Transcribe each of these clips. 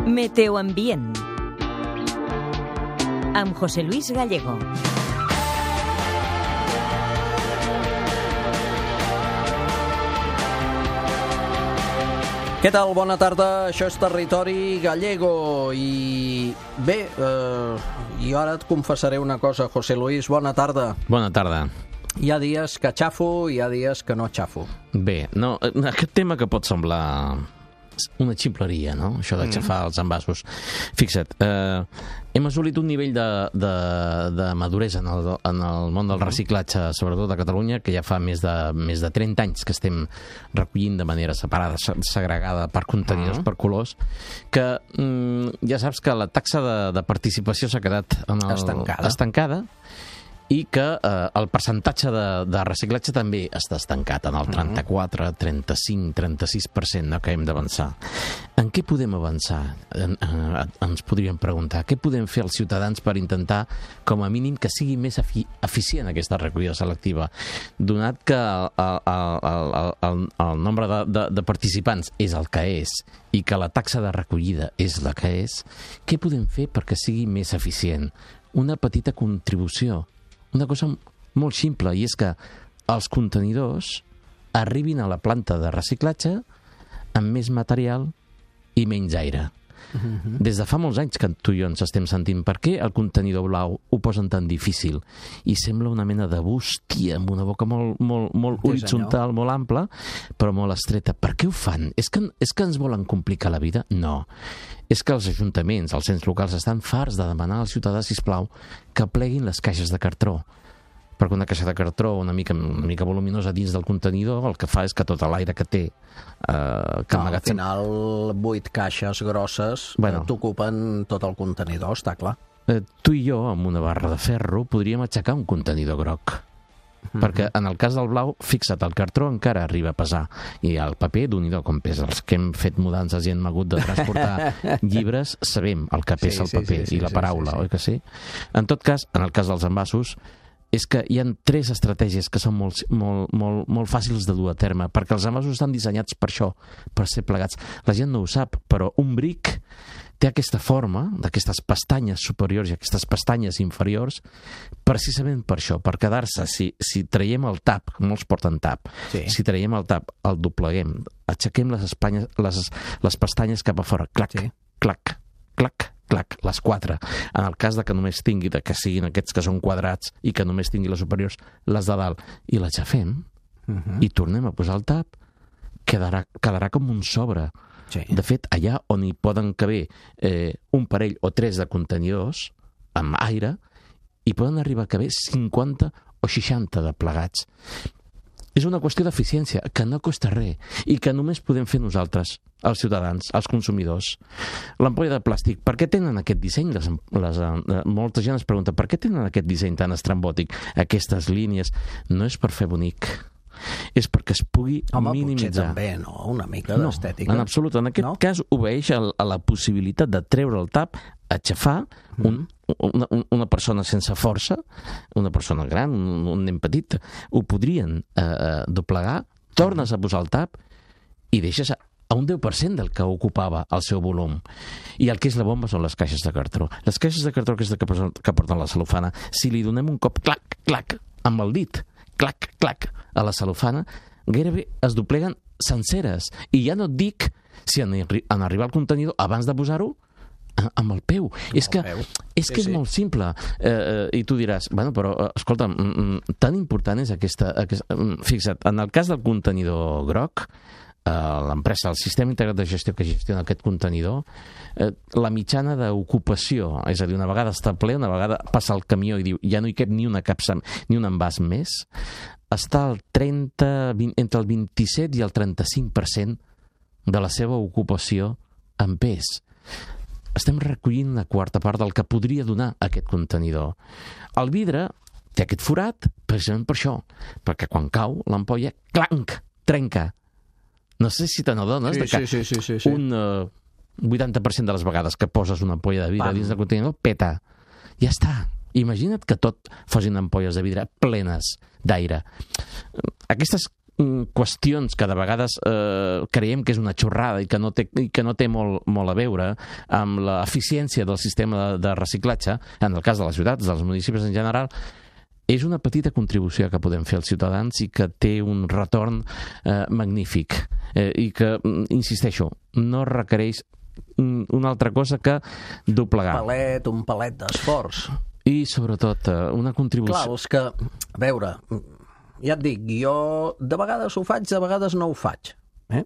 Meteoambient amb José Luis Gallego. Què tal? Bona tarda, això és Territori Gallego i bé, jo ara et confessaré una cosa, José Luis, bona tarda. Bona tarda. Hi ha dies que xafo i hi ha dies que no xafo. Bé, no, aquest tema que pot semblar una ximpleria, no? Això de xafar els envasos. Fixa't, hem assolit un nivell de maduresa en el món del reciclatge, sobretot a Catalunya, que ja fa més de 30 anys que estem recollint de manera separada, segregada per contenidors, per colors, que ja saps que la taxa de participació s'ha quedat estancada i que el percentatge de reciclatge també està estancat en el 34, 35, 36%, no? Que hem d'avançar. En què podem avançar? Ens podríem preguntar. Què podem fer els ciutadans per intentar, com a mínim, que sigui més eficient aquesta recollida selectiva? Donat que el nombre de participants és el que és i que la taxa de recollida és la que és, què podem fer perquè sigui més eficient? Una petita contribució. Una cosa molt simple, i és que els contenidors arribin a la planta de reciclatge amb més material i menys aire. Des de fa molts anys que tu i jo ens estem sentint per què el contenidor blau ho posen tan difícil i sembla una mena de bústia amb una boca molt horitzontal, molt ampla, però molt estreta. Per què ho fan? És que ens volen complicar la vida? No. És que els ajuntaments, els ens locals, estan farts de demanar al ciutadà, sisplau, que pleguin les caixes de cartró. Perquè una caixa de cartró una mica voluminosa dins del contenidor el que fa és que tot l'aire que té al final 8 caixes grosses t'ocupen tot el contenidor, està clar. Tu i jo, amb una barra de ferro, podríem aixecar un contenidor groc. Perquè en el cas del blau, fixa't, el cartró encara arriba a pesar i el paper, d'un-i-do com pesa. Els que hem fet mudances i hem hagut de transportar llibres sabem el que pesa el paper i la paraula, oi que sí? En tot cas, en el cas dels envasos, és que hi ha 3 estratègies que són molt fàcils de dur a terme, perquè els envasos estan dissenyats per això, per ser plegats. La gent no ho sap, però un bric té aquesta forma, d'aquestes pestanyes superiors i aquestes pestanyes inferiors, precisament per això, per quedar-se. Si traiem el tap, molts porten tap, si traiem el tap, el dobleguem, aixequem les pestanyes cap a fora, clac, clac, clac, clac, les 4. En el cas de que només tingui, que siguin aquests que són quadrats i que només tingui les superiors, les de dalt, i l'aixafem i tornem a posar el tap, quedarà com un sobre. De fet, allà on hi poden caber un parell o 3 de contenidors amb aire, hi poden arribar a caber 50 o 60 de plegats. És una qüestió d'eficiència, que no costa res i que només podem fer nosaltres, els ciutadans, els consumidors. L'ampolla de plàstic, per què tenen aquest disseny? Molta gent es pregunta, per què tenen aquest disseny tan estrambòtic? Aquestes línies no és per fer bonic, és perquè es pugui minimitzar. Potser també, no? Una mica d'estètica. No, en absolut. En aquest cas obeeix a la possibilitat de treure el tap, aixafar una persona sense força, una persona gran, un nen petit, ho podrien doblegar, tornes a posar el tap i deixes a un 10% del que ocupava el seu volum. I el que és la bomba són les caixes de cartró. Les caixes de cartró que porten la cel·lofana, si li donem un cop, clac, clac, amb el dit, clac, clac, a la cel·lofana, gairebé es dobleguen senceres. I ja no et dic si en arribar al contenidor, abans de posar-ho, amb el peu. És que és molt simple. I tu diràs, bueno, però, escolta, tan important és aquesta... Fixa't, en el cas del contenidor groc, l'empresa, el sistema integrat de gestió que gestiona aquest contenidor, la mitjana d'ocupació, és a dir, una vegada està ple, una vegada passa el camió i diu, ja no hi cap ni una capsa, ni un envàs més, està entre el 27 i el 35% de la seva ocupació en pes. Estem recollint una quarta part del que podria donar aquest contenidor. El vidre té aquest forat precisament per això, perquè quan cau l'ampolla, clanc, trenca. No sé si te n'adones que un 80% de les vegades que poses una ampolla de vidre dins del contenidor, peta. Ja està. Imagina't que tot fossin ampolles de vidre plenes d'aire. Aquestes qüestions que de vegades creiem que és una xorrada i que no té molt a veure amb l'eficiència del sistema de reciclatge, en el cas de les ciutats, dels municipis en general, és una petita contribució que podem fer als ciutadans i que té un retorn magnífic i que, insisteixo, no requereix una altra cosa que doblegar. Un palet d'esforç. I, sobretot, una contribució... Clar, és que, a veure, ja et dic, jo de vegades ho faig, de vegades no ho faig. I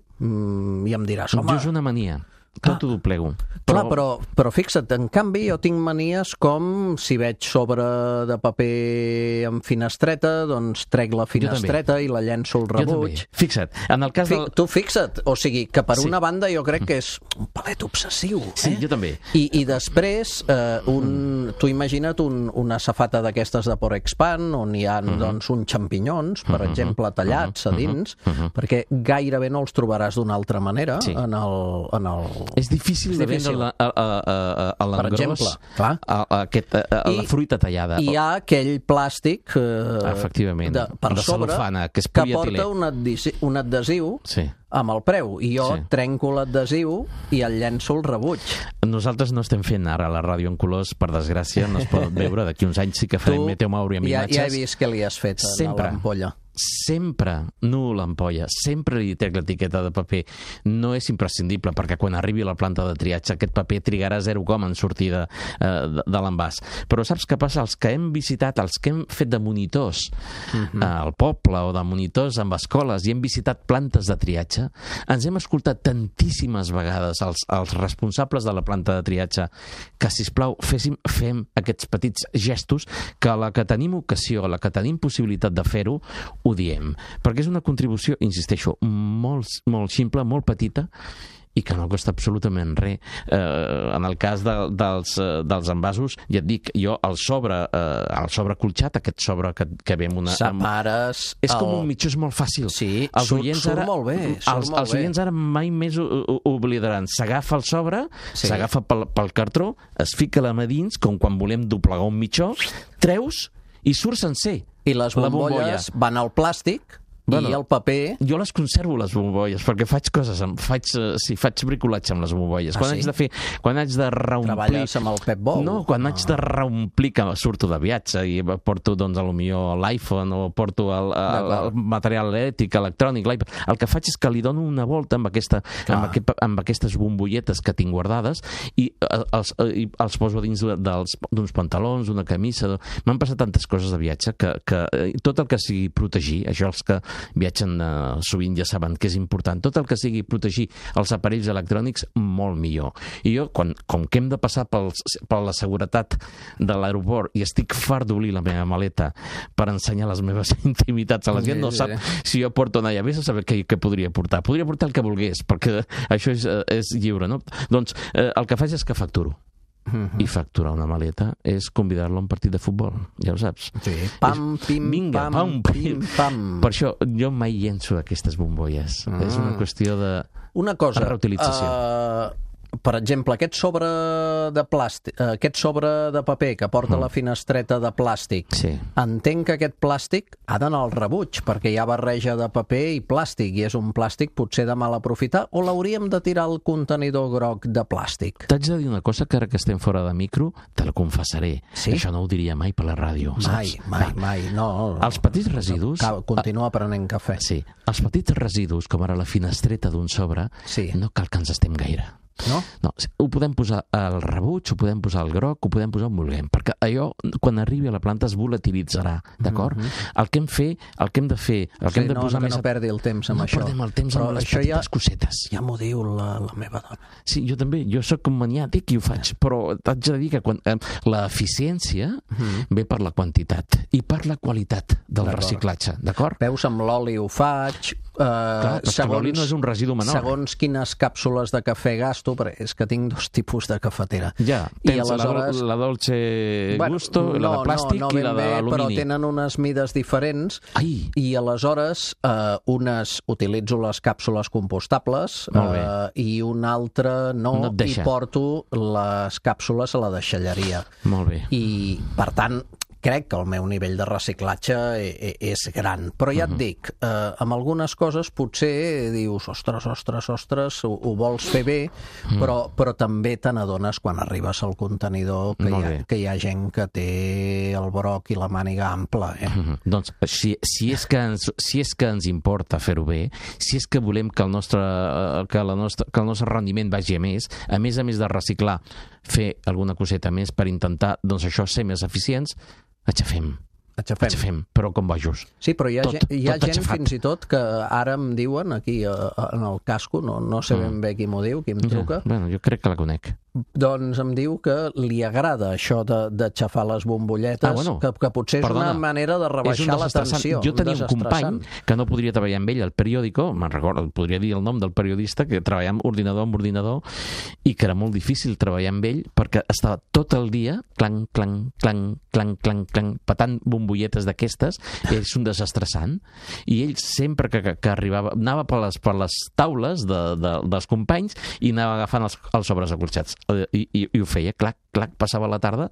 em diràs, home... Jo és una mania. Tot ho doblego. Clar, però fixa't, en canvi jo tinc manies com si veig sobre de paper amb finestreta, doncs trec la finestreta i la llenço al rebuig. Fixa't, en el cas del... Tu fixa't, o sigui, que per una banda jo crec que és un palet obsessiu. Sí, jo també. I després, tu imagina't una safata d'aquestes de Porexpan, on hi ha doncs, uns xampinyons, per exemple, tallats a dins, perquè gairebé no els trobaràs d'una altra manera en el... És difícil de vendre a l'engròs la fruita tallada. Hi ha aquell plàstic efectivament, per de sobre cel·lofana, que porta un adhesiu amb el preu, i jo trenco l'adhesiu i el llenço al rebuig. Nosaltres no estem fent ara la ràdio en colors, per desgràcia, no es pot veure, d'aquí uns anys sí que farem Meteomauria amb imatges. Ja he vist què li has fet a l'ampolla. Sempre, no l'ampolla, sempre li trec l'etiqueta de paper. No és imprescindible, perquè quan arribi a la planta de triatge aquest paper trigarà 0, en sortir de l'envàs. Però saps què passa? Els que hem visitat, els que hem fet de monitors al poble o de monitors amb escoles i hem visitat plantes de triatge, ens hem escoltat tantíssimes vegades els responsables de la planta de triatge que, sisplau, fem aquests petits gestos que a la que tenim ocasió, a la que tenim possibilitat de fer-ho, ho diem, perquè és una contribució, insisteixo, molt ximple, molt petita, i que no costa absolutament res. En el cas dels envasos, ja et dic, jo el sobre colxat, aquest sobre que ve amb una... Separes... És com un mitjó, és molt fàcil. Sí, surt molt bé. Els oients ara mai més ho oblidaran. S'agafa el sobre, s'agafa pel cartró, es fica la mà dins, com quan volem doblegar un mitjó, treus i surt sencer. I les bombolles van al plàstic i el paper... Jo les conservo, les bombolles, perquè faig coses, faig bricolatge amb les bombolles. Quan haig de reomplir... Treballes amb el Pep Bou? No, quan haig de reomplir, que surto de viatge i porto, doncs, potser l'iPhone o porto el material electrònic, l'iPad. El que faig és que li dono una volta amb aquestes bombolletes que tinc guardades i els poso dins d'uns pantalons, una camisa... M'han passat tantes coses de viatge que tot el que sigui protegir, això els que viatgen sovint ja saben que és important, tot el que sigui protegir els aparells electrònics, molt millor. I jo, com que hem de passar per la seguretat de l'aeroport i estic fart d'obrir la meva maleta per ensenyar les meves intimitats a la gent, no sap si jo porto allà, vés a saber què podria portar. Podria portar el que volgués, perquè això és lliure, no? Doncs el que faig és que facturo. I facturar una maleta és convidar-lo a un partit de futbol, ja ho saps. Sí. Pam, pim, pam, pim, pam. Per això jo mai llenço aquestes bombolles. És una qüestió de reutilització. Per exemple, aquest sobre de plàstic, aquest sobre de paper que porta la finestreta de plàstic, entenc que aquest plàstic ha d'anar al rebuig, perquè hi ha barreja de paper i plàstic, i és un plàstic potser de mal aprofitar, o l'hauríem de tirar al contenidor groc de plàstic? T'haig de dir una cosa, que ara que estem fora de micro, te la confessaré. Això no ho diria mai per la ràdio, saps? Mai, no. Els petits residus... Continua prenent cafè. Sí, els petits residus, com ara la finestreta d'un sobre, no cal que ens estem gaire. No? No, ho podem posar al rebuig, ho podem posar al groc, ho podem posar on vulguem, perquè allò, quan arribi a la planta, es volatilitzarà, d'acord? El que hem de fer, el que hem de posar més... No perdi el temps amb això. No perdem el temps amb les petites cosetes. Ja m'ho diu la meva dona. Sí, jo també, jo sóc un maniàtic i ho faig, però t'haig de dir que l'eficiència ve per la quantitat i per la qualitat del reciclatge, d'acord? Veus, amb l'oli ho faig... Clar, però l'oli no és un residu menor. Segons quines càpsules de cafè gasto, perquè és que tinc 2 tipus de cafetera. Ja, tens la dolce gusto, la de plàstic i la d'alumini. Però tenen unes mides diferents i aleshores utilitzo les càpsules compostables i una altra no, i porto les càpsules a la deixalleria. Molt bé. I, per tant, crec que el meu nivell de reciclatge és gran, però ja et dic, amb algunes coses potser dius, ostres, ho vols fer bé, però també te n'adones quan arribes al contenidor que hi ha gent que té el broc i la màniga ampla. Doncs si és que ens importa fer-ho bé, si és que volem que el nostre rendiment vagi a més de reciclar, fer alguna coseta més per intentar, doncs això, ser més eficients, aixafem, però com bojos. Sí, però hi ha gent fins i tot que ara em diuen aquí en el casco, no sé ben bé qui m'ho diu, qui em truca. Bueno, jo crec que la conec. Doncs em diu que li agrada això d'aixafar les bombolletes, que potser és una manera de rebaixar la tensió. Jo tenia un company que no podria treballar amb ell al periòdico, me'n recordo, podria dir el nom del periodista, que treballava amb ordinador, i que era molt difícil treballar amb ell perquè estava tot el dia clanc, patant bombolletes d'aquestes, i és un desestressant, i ell sempre que arribava, anava per les taules dels companys i anava agafant els sobres acolxats. I ho feia, clac, passava la tarda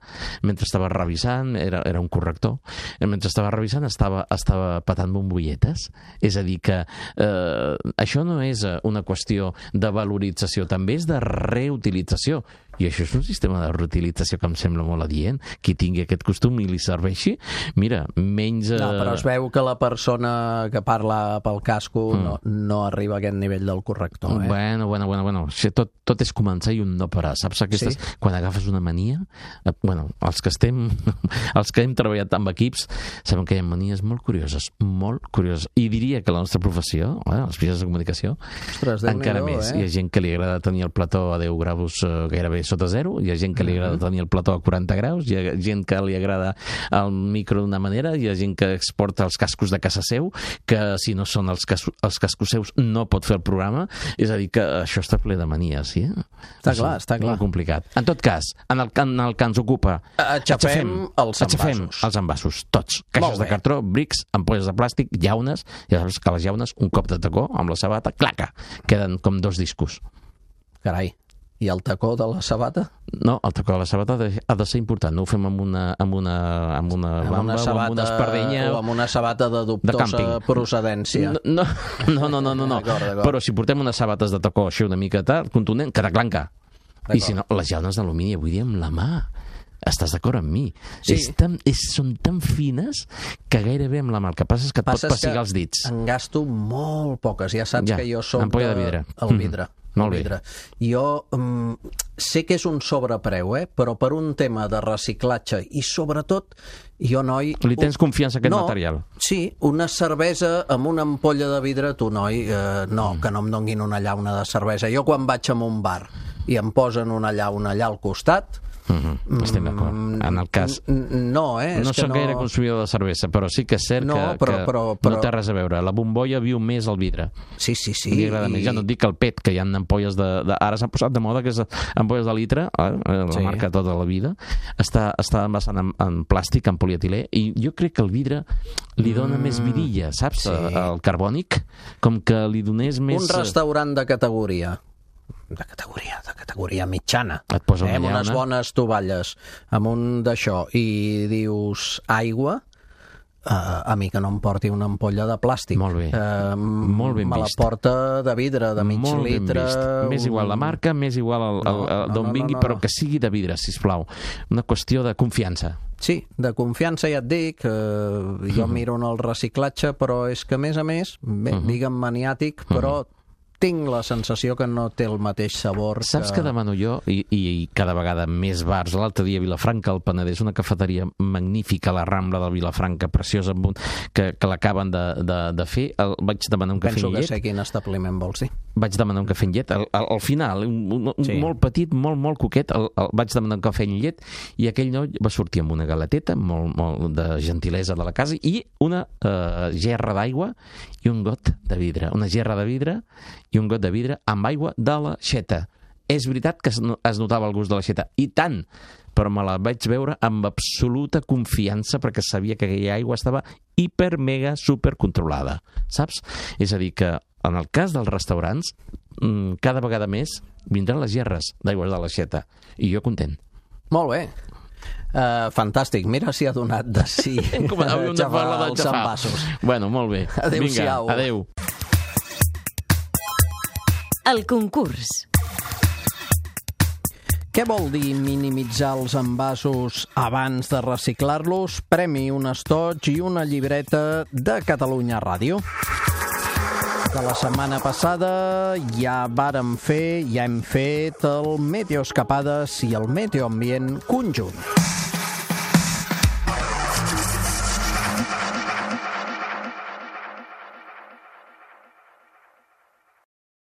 mentre estava revisant, era un corrector, mentre estava revisant estava patant bombolletes. És a dir que això no és una qüestió de valorització, també és de reutilització, i això és un sistema de reutilització que em sembla molt adient. Qui tingui aquest costum i li serveixi, mira, menys... No, però es veu que la persona que parla pel casco no arriba a aquest nivell del corrector. Bueno. Tot és començar i un no parar. Saps aquestes? Sí. Quan agafes una mania, els que hem treballat amb equips, sabem que hi ha manies molt curioses. I diria que la nostra professió, els mitjans de comunicació, encara més. Hi ha gent que li agrada tenir el plató a 10 graus gairebé sota zero, hi ha gent que li agrada tenir el plató a 40 graus, hi ha gent que li agrada el micro d'una manera, hi ha gent que exporta els cascos de casa seu, que si no són els cascos seus no pot fer el programa. És a dir, que això està ple de manies, sí? Està clar. Molt complicat. En tot cas, en el que ens ocupa, aixafem els envasos, tots. Caixes de cartró, brics, ampolles de plàstic, llaunes, ja saps que les llaunes, un cop de tacó amb la sabata, claca, queden com 2 discos. Carai. I el tacó de la sabata? No, el tacó de la sabata ha de ser important. No ho fem amb una bamba o amb una espardenya o amb una sabata de dubtosa procedència. No. D'acord. Però si portem unes sabates de tacó així una mica contundent, queda clanca. I si no, les llaunes d'alumini avui dia amb la mà. Estàs d'acord amb mi? Sí. Són tan fines que gairebé amb la mà. El que passa és que et pot pessigar els dits. En gasto molt poques. Ja saps que jo soc ampolla de vidre. El vidre. Molt bé. Jo sé que és un sobrepreu, però per un tema de reciclatge i sobretot jo, noi... Li tens confiança a aquest material? Sí, una cervesa amb una ampolla de vidre, tu, noi, que no em donguin una llauna de cervesa. Jo quan vaig a un bar i em posen una llauna allà al costat... Estem d'acord. En el cas... No soc gaire consumidor de cervesa, però sí que és cert que no té res a veure. La bombolla viu més al vidre. Sí. Li agrada més. Ja no et dic el PET, que hi ha ampolles ara s'ha posat de moda, que és ampolles de litre, la marca tota la vida. Està envasant en plàstic, en polietilè, i jo crec que el vidre li dona més vidilla, saps? El carbònic, com que li donés més... Un restaurant de categoria mitjana, amb unes bones tovalles, amb un d'això, i dius aigua, a mi que no em porti una ampolla de plàstic. Molt bé. Molt ben vist. Me la porta de vidre, de mig litre... Més igual la marca, més igual d'on vingui, però que sigui de vidre, sisplau. Una qüestió de confiança. Sí, de confiança, ja et dic. Jo miro en el reciclatge, però és que, a més, digue'm maniàtic, però tinc la sensació que no té el mateix sabor. Saps que demano jo, i cada vegada més bars, l'altre dia a Vilafranca, al Penedès, una cafeteria magnífica a la Rambla de Vilafranca, preciosa, que l'acaben de fer, vaig demanar un cafè amb llet. Penso que sé quin establiment vols dir. Vaig demanar un cafè amb llet, al final, molt petit, molt coquet, vaig demanar un cafè amb llet, i aquell noi va sortir amb una galeteta, molt de gentilesa de la casa, i una gerra d'aigua i un got de vidre. Una gerra de vidre i un got de vidre amb aigua de l'aixeta. És veritat que es notava el gust de l'aixeta, i tant, però me la vaig veure amb absoluta confiança perquè sabia que aquella aigua estava hiper, mega, super controlada, saps? És a dir, que en el cas dels restaurants, cada vegada més vindran les gerres d'aigua de l'aixeta, i jo content. Molt bé. Fantàstic, mira si ha donat de sí xafar els envasos. Bueno, molt bé. Adéu-siau. Vinga, adéu. El concurs. Què vol dir minimitzar els envasos abans de reciclar-los? Premi, un estoig i una llibreta de Catalunya Ràdio. De la setmana passada ja hem fet el Meteoescapades i el Meteoambient conjunt.